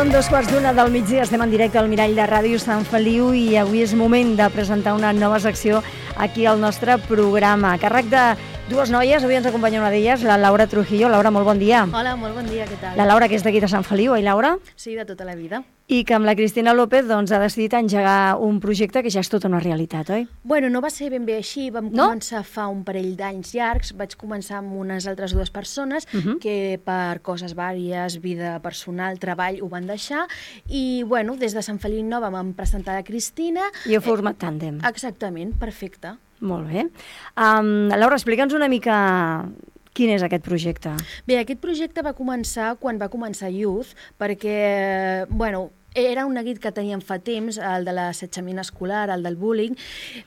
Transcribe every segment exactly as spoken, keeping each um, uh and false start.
Són dos quarts d'una del migdia, estem en directe al Mirall de Ràdio Sant Feliu i avui és moment de presentar una nova secció aquí al nostre programa. A càrrec de dues noies, avui ens acompanya una d'elles, la Laura Trujillo. Laura, molt bon dia. Hola, molt bon dia, què tal? La Laura, que és d'aquí de Sant Feliu, oi, Laura? Sí, de tota la vida. I que amb la Cristina López doncs, ha decidit engegar un projecte que ja és tota una realitat, oi? Bueno, no va ser ben bé així, vam no? començar fa un parell d'anys llargs, vaig començar amb unes altres dues persones uh -huh. que per coses vàries, vida personal, treball, ho van deixar, i bueno, des de Sant Feliu Nova vam presentar la Cristina. I heu format tàndem. Exactament, perfecte. Molt bé. Um, Laura, explica'ns una mica quin és aquest projecte. Bé, aquest projecte va començar quan va començar Youth, perquè, bueno, era un neguit que teníem fa temps, el de l'assetjament escolar, el del bullying,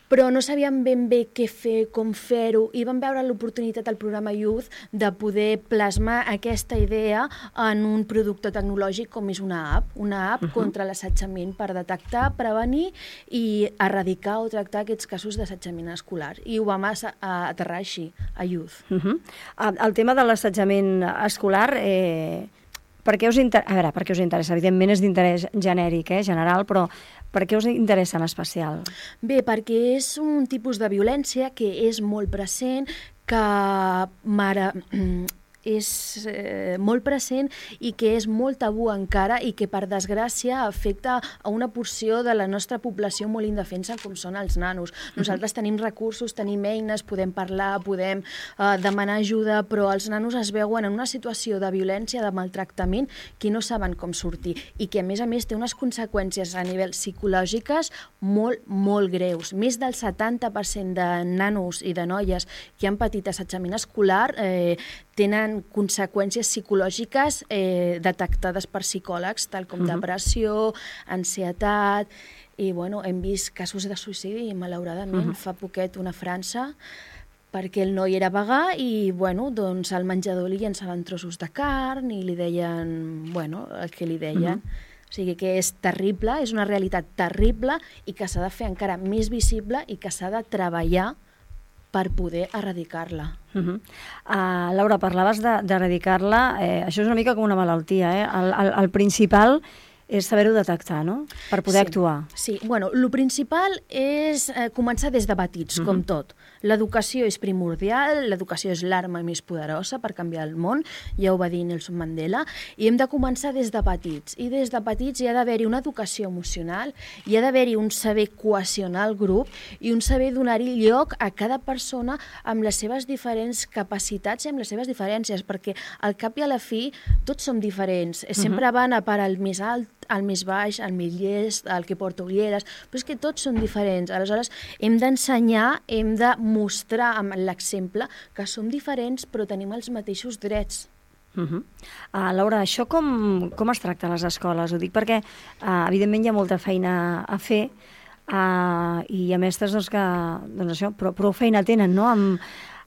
però no sabíem ben bé què fer, com fer-ho, i vam veure l'oportunitat al programa Youth de poder plasmar aquesta idea en un producte tecnològic com és una app, una app uh -huh. contra l'assetjament per detectar, prevenir i erradicar o tractar aquests casos d'assetjament escolar. I ho vam aterrar així, a Youth. Uh -huh. El tema de l'assetjament escolar... Eh... Per què us inter... A veure, per què us interessa? Evidentment és d'interès genèric, eh, general, però per què us interessa en especial? Bé, perquè és un tipus de violència que és molt present, que mare... és eh, molt present i que és molt tabú encara i que, per desgràcia, afecta a una porció de la nostra població molt indefensa, com són els nanos. Nosaltres tenim recursos, tenim eines, podem parlar, podem eh, demanar ajuda, però els nanos es veuen en una situació de violència, de maltractament, que no saben com sortir i que, a més a més, té unes conseqüències a nivell psicològiques molt, molt greus. Més del setanta per cent de nanos i de noies que han patit assetjament escolar eh, tenen conseqüències psicològiques eh, detectades per psicòlegs, tal com uh -huh. depressió, ansietat, i bueno, hem vist casos de suïcidi, malauradament, uh -huh. fa poquet una a França, perquè el noi era vegà i, bueno, doncs al menjador li llançaven trossos de carn i li deien, bueno, el que li deien. Uh -huh. O sigui que és terrible, és una realitat terrible i que s'ha de fer encara més visible i que s'ha de treballar per poder erradicar-la. Uh -huh. uh, Laura, parlaves d'erradicar-la, eh, això és una mica com una malaltia, eh? El, el, el principal és saber-ho detectar, no?, per poder sí, actuar. Sí, bueno, el principal és eh, començar des de petits, uh -huh. com tot. L'educació és primordial, l'educació és l'arma més poderosa per canviar el món, ja ho va dir Nelson Mandela, i hem de començar des de petits. I des de petits hi ha d'haver-hi una educació emocional, hi ha d'haver-hi un saber cohesionar el grup i un saber donar-hi lloc a cada persona amb les seves diferents capacitats i amb les seves diferències, perquè al cap i a la fi tots som diferents. Sempre uh -huh. van a per al més alt, al més baix, al més llest, al que porta ulleres, però és que tots són diferents. Aleshores, hem d'ensenyar, hem de mostrar amb l'exemple que som diferents però tenim els mateixos drets. Uh -huh. uh, Laura, això com, com es tracta a les escoles? Ho dic perquè, uh, evidentment, hi ha molta feina a fer uh, i hi ha mestres doncs, que doncs això, prou, prou feina tenen, no?, amb,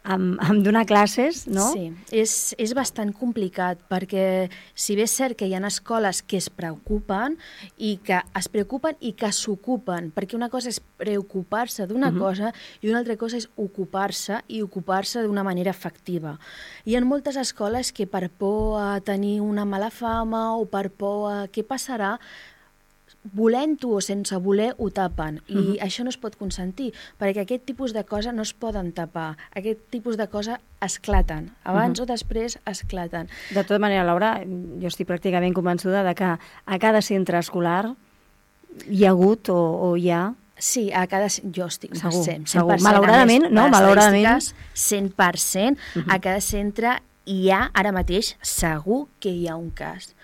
amb, amb donar classes, no? Sí, és, és bastant complicat perquè si bé és cert que hi ha escoles que es preocupen i que es preocupen i que s'ocupen, perquè una cosa és preocupar-se d'una uh -huh. cosa i una altra cosa és ocupar-se i ocupar-se d'una manera efectiva. Hi ha moltes escoles que per por a tenir una mala fama o per por a què passarà, volent-ho o sense voler, ho tapen. I uh-huh. això no es pot consentir, perquè aquest tipus de coses no es poden tapar. Aquest tipus de coses esclaten. Abans uh-huh. o després esclaten. De tota manera, Laura, jo estic pràcticament convençuda de que a cada centre escolar hi ha hagut o, o hi ha... Sí, a cada... Jo estic segur, cent per cent. segur. Malauradament, no? Malauradament. cent per cent. Uh-huh. A cada centre hi ha, ara mateix, segur que hi ha un cas.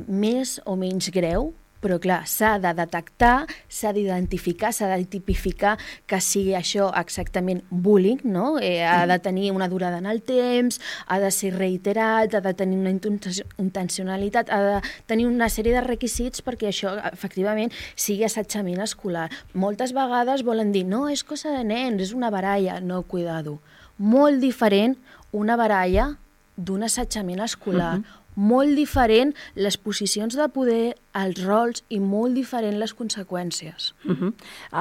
Més o menys greu, però clar, s'ha de detectar, s'ha d'identificar, s'ha de tipificar que sigui això exactament bullying, no? Eh, ha de tenir una durada en el temps, ha de ser reiterat, ha de tenir una intencionalitat, ha de tenir una sèrie de requisits perquè això, efectivament, sigui assetjament escolar. Moltes vegades volen dir, no, és cosa de nens, és una baralla. No, cuidado. Molt diferent una baralla d'un assetjament escolar. Uh-huh. Molt diferent les posicions de poder, els rols i molt diferent les conseqüències. Uh-huh.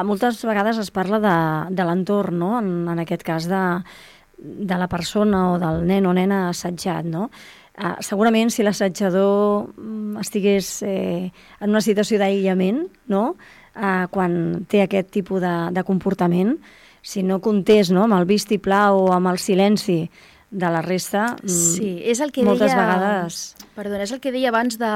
Moltes vegades es parla de, de l'entorn, no? En, en aquest cas de, de la persona o del nen o nena assetjat, no? Uh, segurament si l'assetjador um, estigués eh, en una situació d'aïllament, no? uh, quan té aquest tipus de, de comportament, si no comptés, no? amb el vistiplau o amb el silenci de la resta, sí, és el que moltes deia, vegades... Perdona, és el que deia abans de,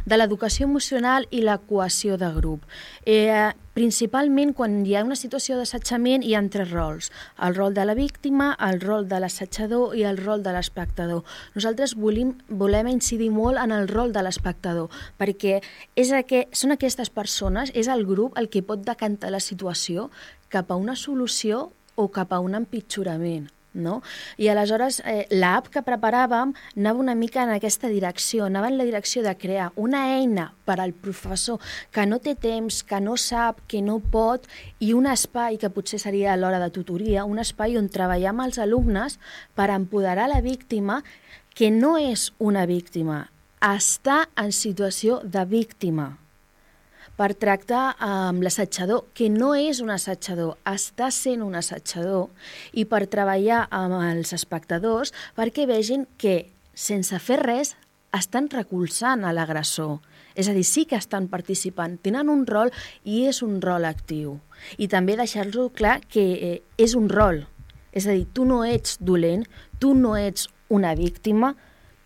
de l'educació emocional i la cohesió de grup. Eh, principalment, quan hi ha una situació d'assetjament, hi ha tres rols. El rol de la víctima, el rol de l'assetjador i el rol de l'espectador. Nosaltres volem, volem incidir molt en el rol de l'espectador, perquè és que, són aquestes persones, és el grup el que pot decantar la situació cap a una solució o cap a un empitjorament. No? I aleshores eh, l'app que preparàvem anava una mica en aquesta direcció, anava en la direcció de crear una eina per al professor que no té temps, que no sap, que no pot, i un espai que potser seria a l'hora de tutoria, un espai on treballar amb els alumnes per empoderar la víctima, que no és una víctima, està en situació de víctima, per tractar amb l'assetjador, que no és un assetjador, està sent un assetjador, i per treballar amb els espectadors perquè vegin que, sense fer res, estan recolzant a l'agressor. És a dir, sí que estan participant, tenen un rol i és un rol actiu. I també deixar-lo clar que eh, és un rol. És a dir, tu no ets dolent, tu no ets una víctima,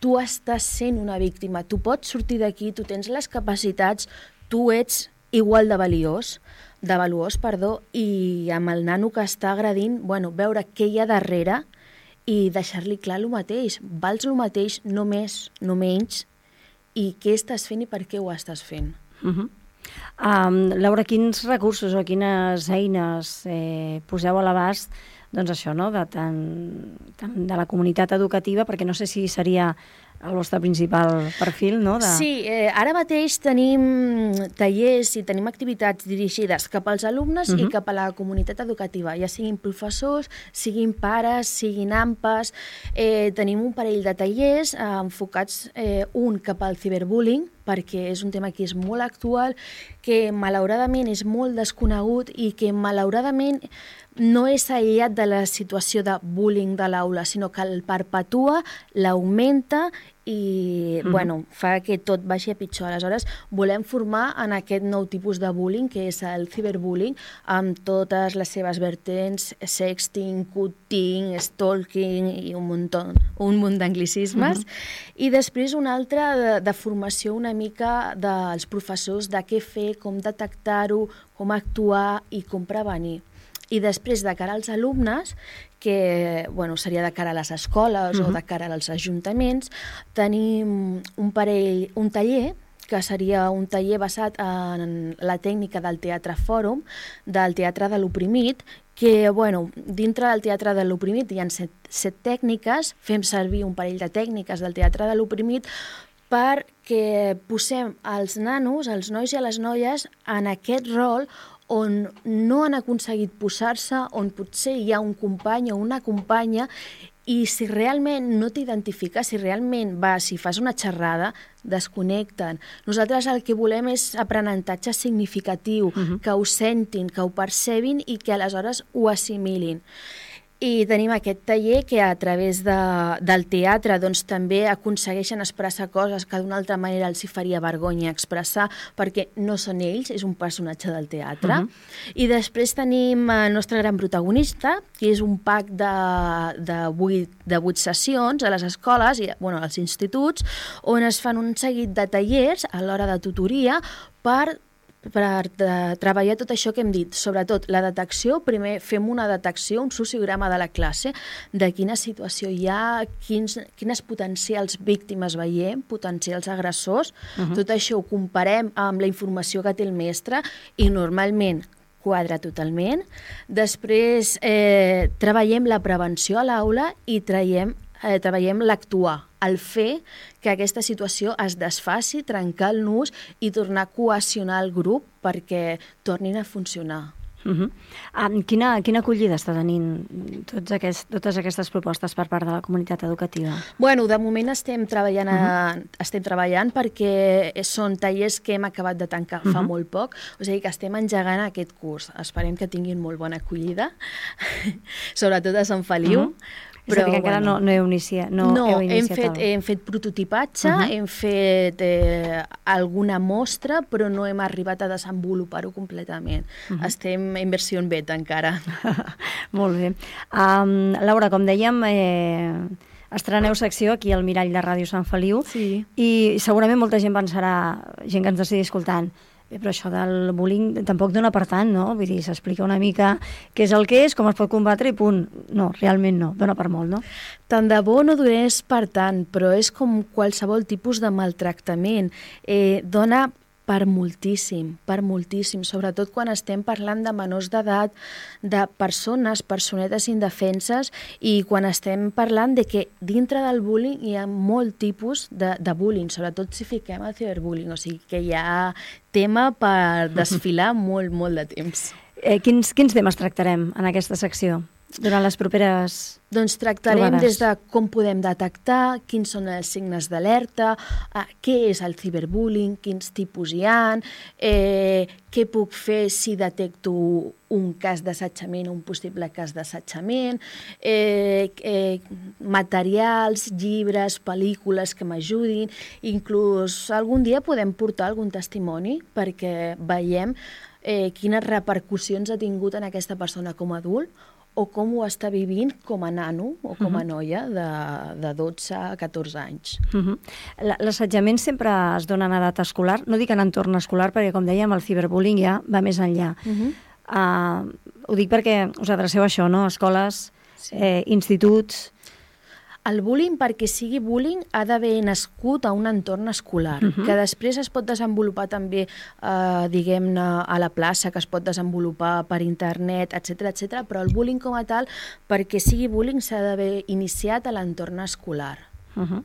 tu estàs sent una víctima, tu pots sortir d'aquí, tu tens les capacitats, tu ets igual de valiós, de valuós, perdó, i amb el nano que està agredint, bueno, veure què hi ha darrere i deixar-li clar el mateix. Vals el mateix, no més, no menys, i què estàs fent i per què ho estàs fent. Uh -huh. um, Laura, quins recursos o quines eines eh, poseu a l'abast, doncs això, no?, de, tant, tant de la comunitat educativa, perquè no sé si seria el vostre principal perfil, no? De... Sí, eh, ara mateix tenim tallers i tenim activitats dirigides cap als alumnes uh-huh. i cap a la comunitat educativa, ja siguin professors, siguin pares, siguin AMPAs. Eh, tenim un parell de tallers eh, enfocats, eh, un cap al ciberbullying, perquè és un tema que és molt actual, que malauradament és molt desconegut i que malauradament no és aïllat de la situació de bullying de l'aula, sinó que el perpetua, l'augmenta i mm-hmm. bueno, fa que tot vagi a pitjor. Aleshores, volem formar en aquest nou tipus de bullying, que és el ciberbullying, amb totes les seves vertents, sexting, cutting, stalking i un munt, un munt d'anglicismes. Mm-hmm. I després una altra de, de formació una mica dels professors de què fer, com detectar-ho, com actuar i com prevenir. I després, de cara als alumnes, que bueno, seria de cara a les escoles uh-huh. o de cara als ajuntaments, tenim un parell, un taller, que seria un taller basat en la tècnica del teatre fòrum, del teatre de l'oprimit, que, bueno, dintre del teatre de l'oprimit hi ha set, set tècniques, fem servir un parell de tècniques del teatre de l'oprimit perquè posem els nanos, els nois i les noies, en aquest rol on no han aconseguit posar-se, on potser hi ha un company o una companya, i si realment no t'identifiques, si realment vas, si fas una xerrada, desconnecten. Nosaltres el que volem és aprenentatge significatiu, uh-huh. que ho sentin, que ho percebin i que aleshores ho assimilin. I tenim aquest taller que a través de, del teatre doncs, també aconsegueixen expressar coses que d'una altra manera els hi faria vergonya expressar, perquè no són ells, és un personatge del teatre. Uh-huh. I després tenim el nostre gran protagonista, que és un pack de, de, vuit, de vuit sessions a les escoles i bueno, als instituts, on es fan un seguit de tallers a l'hora de tutoria per per de, treballar tot això que hem dit, sobretot la detecció. Primer fem una detecció, un sociograma de la classe, de quina situació hi ha, quins, quines potencials víctimes veiem, potencials agressors. Uh-huh. Tot això ho comparem amb la informació que té el mestre i normalment quadra totalment. Després eh, treballem la prevenció a l'aula i traiem, eh, treballem l'actuar, el fer que aquesta situació es desfaci, trencar el nus i tornar a cohesionar el grup perquè tornin a funcionar. Uh-huh. um, quina, quina acollida està tenint tots aquest, totes aquestes propostes per part de la comunitat educativa? Bueno, de moment estem treballant, a, uh-huh. estem treballant perquè són tallers que hem acabat de tancar uh-huh. fa molt poc, o sigui que estem engegant aquest curs. Esperem que tinguin molt bona acollida, sobretot a Sant Feliu. Uh-huh. Però, és a dir, que encara bueno, no, no heu iniciat. No, no heu hem, iniciat fet, el... hem fet prototipatge, uh -huh. hem fet eh, alguna mostra, però no hem arribat a desenvolupar-ho completament. Uh -huh. Estem en versió en beta encara. Molt bé. Um, Laura, com dèiem, eh, estreneu secció aquí al Mirall de Ràdio Sant Feliu, sí. I segurament molta gent pensarà, gent que ens estigui escoltant, bé, però això del bullying tampoc dona per tant, no? Vull dir, s'explica una mica què és el que és, com es pot combatre i punt. No, realment no, dona per molt, no? Tant de bo no donés per tant, però és com qualsevol tipus de maltractament. Eh, dona per moltíssim, per moltíssim, sobretot quan estem parlant de menors d'edat, de persones, personetes indefenses, i quan estem parlant de que dintre del bullying hi ha molt tipus de, de bullying, sobretot si fiquem el ciberbullying, o sigui que hi ha tema per desfilar molt, molt de temps. Eh, quins, quins temes tractarem en aquesta secció durant les properes Doncs tractarem trobades? Des de com podem detectar, quins són els signes d'alerta, eh, què és el ciberbullying, quins tipus hi ha, eh, què puc fer si detecto un cas d'assetjament o un possible cas d'assetjament, eh, eh, materials, llibres, pel·lícules que m'ajudin, inclús algun dia podem portar algun testimoni perquè veiem eh, quines repercussions ha tingut en aquesta persona com a adult o com ho està vivint com a nano o com a noia de, de dotze a catorze anys. Uh-huh. L'assetjament sempre es dona en edat escolar, no dic en entorn escolar, perquè com dèiem el ciberbullying ja va més enllà. Uh-huh. uh, ho dic perquè us adreceu a això, no? Escoles, sí. eh, instituts... El bullying, perquè sigui bullying, ha d'haver nascut a un entorn escolar, uh-huh. que després es pot desenvolupar també, eh, diguem-ne, a la plaça, que es pot desenvolupar per internet, etcètera, etcètera, però el bullying com a tal, perquè sigui bullying, s'ha d'haver iniciat a l'entorn escolar. Uh-huh.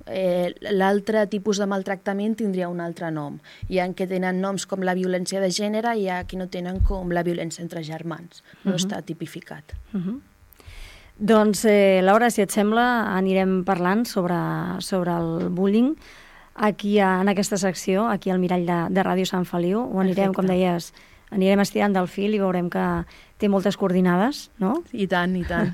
Eh, l'altre tipus de maltractament tindria un altre nom. Hi ha que tenen noms com la violència de gènere i hi ha qui no tenen com la violència entre germans. No uh-huh. està tipificat. Uh-huh. Doncs, eh, Laura, si et sembla, anirem parlant sobre, sobre el bullying aquí a, en aquesta secció, aquí al Mirall de, de Ràdio Sant Feliu. Ho anirem, Perfecte. Com deies, anirem estirant del fil i veurem que té moltes coordinades, no? I tant, i tant.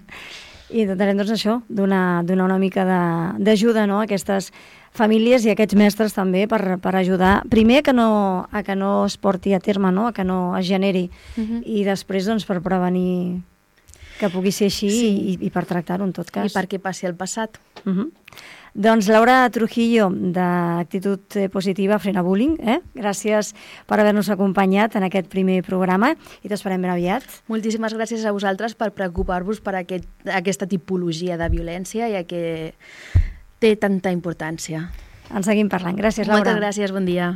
I intentarem, doncs, això, donar, donar una mica d'ajuda, no?, a aquestes famílies i a aquests mestres també per, per ajudar, primer a que, no, a que no es porti a terme, no?, a que no es generi, uh-huh. i després, doncs, per prevenir que pugui ser així, sí. i, i per tractar-ho en tot cas. I perquè passi el passat. Uh-huh. Doncs Laura Trujillo, d'Actitud Positiva Frena Bullying, eh? Gràcies per haver-nos acompanyat en aquest primer programa i t'esperem ben aviat. Moltíssimes gràcies a vosaltres per preocupar-vos per aquest, aquesta tipologia de violència, ja que té tanta importància. En seguim parlant. Gràcies, Laura. Moltes gràcies, bon dia.